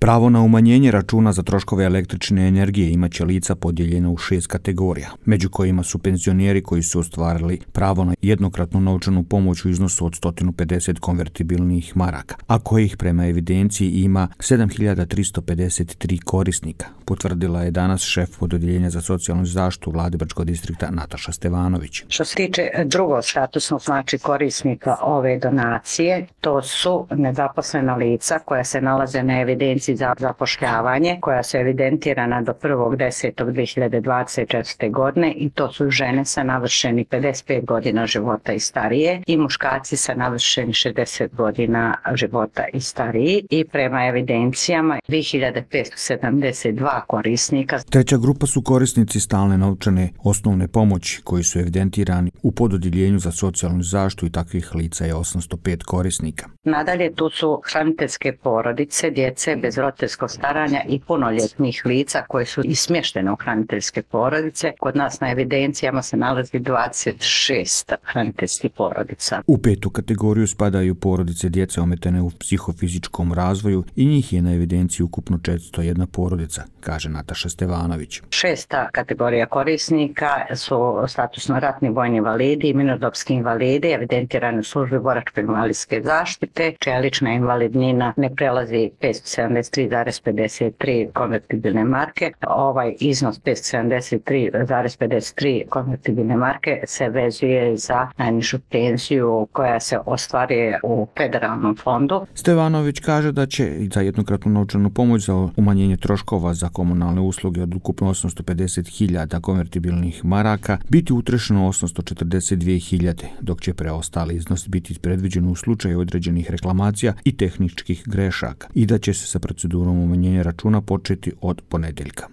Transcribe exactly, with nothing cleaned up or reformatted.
Pravo na umanjenje računa za troškove električne energije imaće lica podijeljena u šest kategorija, među kojima su penzioneri koji su ostvarili pravo na jednokratnu novčanu pomoć u iznosu od sto pedeset konvertibilnih maraka, a kojih prema evidenciji ima sedam hiljada tristo pedeset tri korisnika, potvrdila je danas šef Odeljenja za socijalnu zaštitu Vlade Brčkog distrikta Nataša Stevanović. Što se tiče drugog statusnog znači korisnika ove donacije, to su nezaposlena lica koja se nalaze na evidenciji za zapošljavanje, koja su evidentirana do prvog desetog dve hiljade dvadeset četvrte. godine i to su žene sa navršenih pedeset pet godina života i starije i muškarci sa navršenih šezdeset godina života i stariji i prema evidencijama dve hiljade petsto sedamdeset dva korisnika. Treća grupa su korisnici stalne novčane osnovne pomoći koji su evidentirani u pododjeljenju za socijalnu zaštitu i takvih lica je osamsto pet korisnika. Nadalje tu su hraniteljske porodice, djece bez roditeljskog staranja i punoljetnih lica koji su i smještene u hraniteljske porodice. Kod nas na evidencijama se nalazi dvadeset šest hraniteljskih porodica. U petu kategoriju spadaju porodice djece ometene u psihofizičkom razvoju i njih je na evidenciji ukupno četiristo jedna porodica, kaže Nataša Stevanović. Šesta kategorija korisnika su statusno ratni vojni invalidi i mirnodopski invalidi evidentirani u službi boračko-invalidske zaštite, čija lična invalidnina ne prelazi petsto sedamdeset tri zarez pedeset tri konvertibilne marke. Ovaj iznos petsto sedamdeset tri zarez pedeset tri konvertibilne marke se vezuje za najnižu penziju koja se ostvaruje u federalnom fondu. Stevanović kaže da će i za jednokratnu novčanu pomoć za umanjenje troškova za komunalne usluge od ukupno osamsto pedeset hiljada konvertibilnih maraka biti utrošeno osamsto četrdeset dvije hiljade, dok će preostali iznos biti predviđen u slučaju određenih reklamacija i tehničkih grešaka i da će se sa procedurom umanjenja računa početi od ponedjeljka.